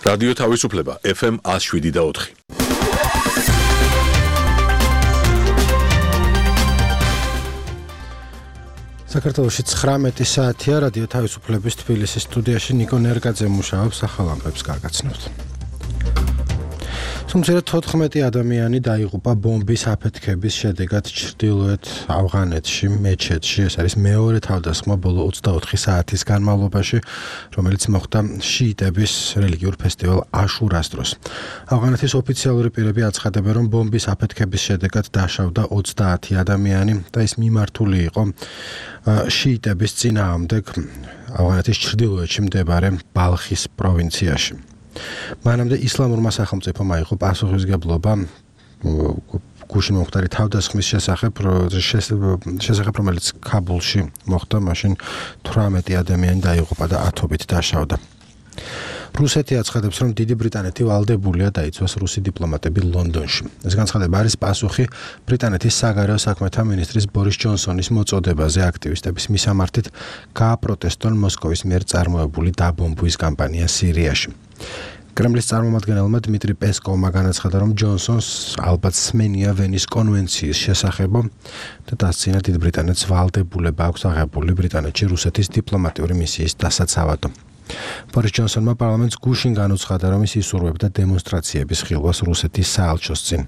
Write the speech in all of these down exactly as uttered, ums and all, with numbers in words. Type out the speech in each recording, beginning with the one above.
რადიო თავისუფლება ეფ ემ one oh seven და four. საქართველოში ცხრამეტი საათია რადიო თავისუფლების თბილისის სტუდიაში ნიკო ნერგაძე მუშაობს ახალ ამბებს გაგაცნობთ. თუმცა თოთხმეტი ადამიანი დაიღუპა ბომბის აფეთქების შედეგად ჩრდილოეთ ავღანეთში მეჩეთში. ეს არის მეორე თავდასხმა ბოლო ოცდაოთხი საათის განმავლობაში, რომელიც მოხდა შიიტების რელიგიურ ფესტივალ აშურას დროს. ავღანეთის ოფიციალური პირები აცხადებენ, რომ ბომბის აფეთქების შედეგად დაშავდა ოცდაათი ადამიანი და ის მიმართული იყო შიიტების წინააღმდეგ ავღანეთის ჩრდილოეთში მდებარე ბალხის პროვინციაში. მანამდე ისლამურმა სახელმწიფომ აიღო პასუხისმგებლობა გუშინ მომხდარი თავდასხმის შესახებ, შესახებ რომელიც ქაბულში მოხდა, მაშინ თვრამეტი ადამიანი დაიღუპა და ათობით დაშავდა. რუსეთი აცხადებს, რომ დიდი ბრიტანეთი ვალდებულია დაიცვას რუსი დიპლომატები ლონდონში. ეს განცხადება არის პასუხი ბრიტანეთის საგარეო საქმეთა მინისტრის ბორის ჯონსონის მოწოდებაზე აქტივისტების მისამართით გააპროტესტონ მოსკოვის მიერ წარმოებული დაბომბვის კამპანია სირიაში. კრემლის წარმომადგენელმა დმიტრი პესკოვმა განაცხადა, რომ ჯონსონს ალბათ სმენია ვენის კონვენციის შესახებ და დასცინა დიდ ბრიტანეთს ვალდებულება აქვს აღებული ბრიტანეთში რუსეთის დიპლომატიური მისიის დასაცავად. ბორის ჯონსონმა პარლამენტს გუშინ განუცხადა, რომ ის ისურვებდა დემონსტრაციების ხილვას რუსეთის საელჩოს წინ.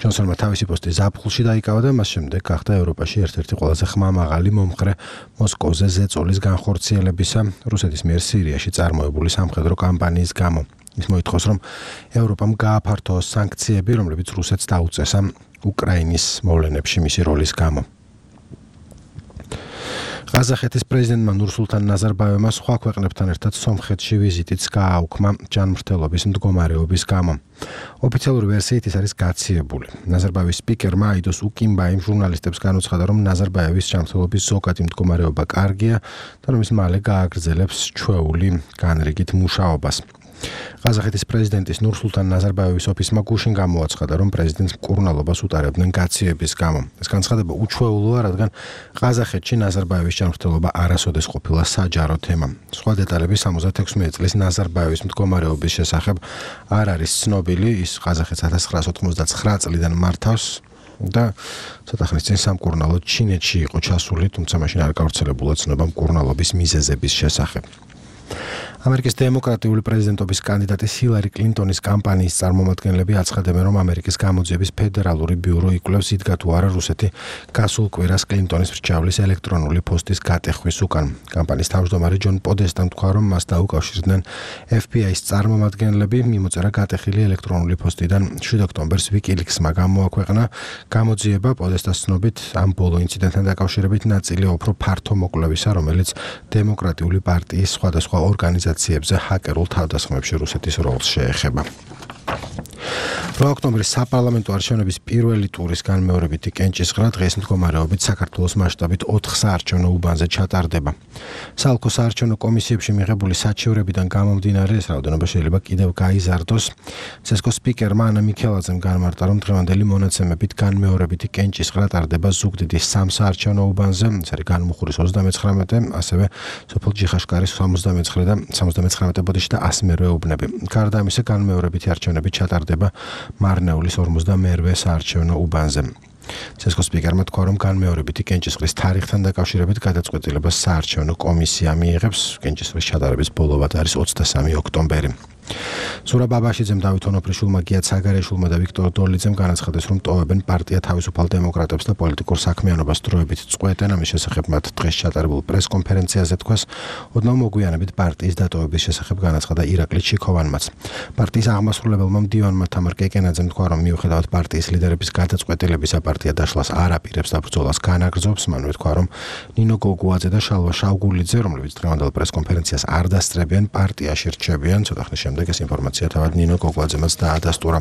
ჯონსონმა თავისი პოსტი ზაფხულში დაიკავა და მას შემდეგ გახდა ევროპაში ერთ-ერთი ყველაზე ხმამაღალი მომხრე მოსკოვზე ზეწოლის განხორციელებისა რუსეთის მიერ სირიაში წარმოებული სამხედრო კამპანიის გამო. ის მოითხოვს, რომ ევროპამ გააფართოოს სანქციები, რომლებიც რუსეთს დაუწესა უკრაინის მოვლენებში მისი როლის გამო. ყაზახეთის პრეზიდენტმა ნურსულთან ნაზარბაევმა სხვა ქვეყნებთან ერთად სომხეთში ვიზიტიც გააუქმა ჯანმრთელობის მდგომარეობის გამო. ოფიციალური ვერსიით ის არის გაციებული. ნაზარბაევის სპიკერმა აიდოს უკიმბაიმ ჟურნალისტებს განუცხადა, რომ ნაზარბაევის ჯანმრთელობის ზოგადი მდგომარეობა კარგია და რომ ის მალე გააგრძელებს ჩვეული განრიგით მუშაობას. ყაზახეთის პრეზიდენტის ნურსულთან ნაზარბაევის ოფისმა გუშინ გამოაცხადა, რომ პრეზიდენტს მკურნალობას უტარებდნენ გაციების გამო. ეს განცხადება უჩვეულოა, რადგან ყაზახეთში ნაზარბაევის ჯანმრთელობა არასოდეს ყოფილა საჯარო თემა. სხვა დეტალები სამოცდაექვსი წლის ნაზარბაევის მდგომარეობის შესახებ არ არის ცნობილი. ის ყაზახეთს ათას ცხრაასი ოთხმოცდაცხრა წლიდან მართავს და ცოტა ხნის წინ სამკურნალო ჩინეთში იყო ჩასული, თუმცა მაშინ არ გავრცელებულა ცნობა მკურნალობის მიზეზების შესახებ. ამერიკის დემოკრატიული პრეზიდენტობის კანდიდატი ჰილარი კლინტონის კამპანიის წარმომადგენლები აცხადებენ, რომ ამერიკის გამოძიების ფედერალური ბიურო იკვლევს იდგა თუ არა რუსეთი გასულ კვირას კლინტონის მრჩევლის ელექტრონული პოსტის გატეხვის უკან. კამპანიის თავმჯდომარე ჯონ პოდესტამ თქვა, რომ მას დაუკავშირდნენ ეფ ბი აის წარმომადგენლები, მიმოწერა გატეხილი ელექტრონული პოსტიდან შვიდ ოქტომბერს ვიკილიქსმა გამოაქვეყნა. გამოძიება პოდესტას ცნობით ამ ბოლო ინციდენტთან დაკავშირებით ნაწილია უფრო ფართო მოკვლევისა, რომელიც დემოკრატიული პარტიის სხვადასხვა ორგანიზაციებზე ჰაკერულ თავდასხმებში რუსეთის როლს შეეხება. რვა ოქტომბრის საპარლამენტო არჩევნების პირველი ტურის განმეორებითი კენჭისყრა დღეს მდგომარეობით საქართველოს მასშტაბით ოთხ საარჩევნო უბანზე ჩატარდება. საალკო საარჩევნო კომისიებში მიღებული საჩივრებიდან გამომდინარე ეს რაოდენობა შეიძლება კიდევ გაიზარდოს. ცესკოს სპიკერმა ანა მიქელაძემ განმარტა, რომ დღევანდელი მონაცემებით განმეორებითი კენჭისყრა ტარდება ზუგდიდის სამ საარჩევნო უბანზე, ეს არის განმუხურის ოცდამეცხრამეტე, ასევე სოფელ ჯიხაშკარის სამოცდამეცხრე და სამოცდამეცხრამეტე ბოდიში და ასი მერვე უბნები. გარდა ამისა, განმეორებითი არჩევნები ჩატარდება მარნეულის ორმოცდამერვე საარჩევნო უბანზე. ცესკოს სპიკერმა თქვა, რომ განმეორებითი კენჭისყრის თარიღთან დაკავშირებით გადაწყვეტილებას საარჩევნო კომისია მიიღებს. კენჭისყრის ჩატარების ბოლოვად არის ოცდასამი ოქტომბერი. სურა ბაბაშიძემ, დავით ონოფრიშვილმა, გიათ საგარეშვილმა და ვიქტორ დოლიძემ განაცხადეს, რომ ტოვებენ პარტია თავისუფალ დემოკრატებს და პოლიტიკურ საქმიანობას დროებით წყვეტენ. ამის შესახებ მათ დღეს ჩატარებულ პრესკონფერენციაზე თქვას. ოდნავ მოგვიანებით პარტიის დატოვების შესახებ განაცხადა ირაკლი ჩიქოვანმაც. პარტიის აღმასრულებელმა მდივანმა თამარ კეკენაძემ თქვა, რომ მიუხედავად პარტიის ლიდერების გადაწყვეტილებისა, პარტია დაშლას არ აპირებს და ბრძოლას განაგრძობს. მანვე თქვა, რომ ნინო გოგუაძე და შალვა შავგულიძე, რომლებიც დღევანდელ პრესკონფერენციას არ დასწრებიან, პარტიაში რჩებიან. ცოტა ხნის შემდეგ ეს ინფორმაცია თავად ნინო გოგუაძემაც დაადასტურა.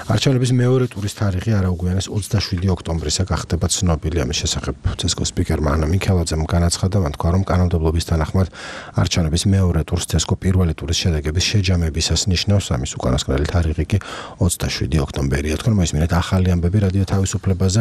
არჩევნების მეორე ტურის თარიღი არაუგვიანეს ოცდაშვიდი ოქტომბრისა გახდება ცნობილი. ამის შესახებ ცესკოს სპიკერმა ანა მიქელაძემ განაცხადა, მან თქვა, რომ კანონმდებლობის თანახმად არჩევნების მეორე ტურს ცესკო პირველი ტურის შედეგების შეჯამებისას ნიშნავს. ამის უკანასკნელი თარიღი კი ოცდაშვიდი ოქტომბერია. თქვენ მოისმინეთ ახალი ამბები რადიო თავისუფლებაზე.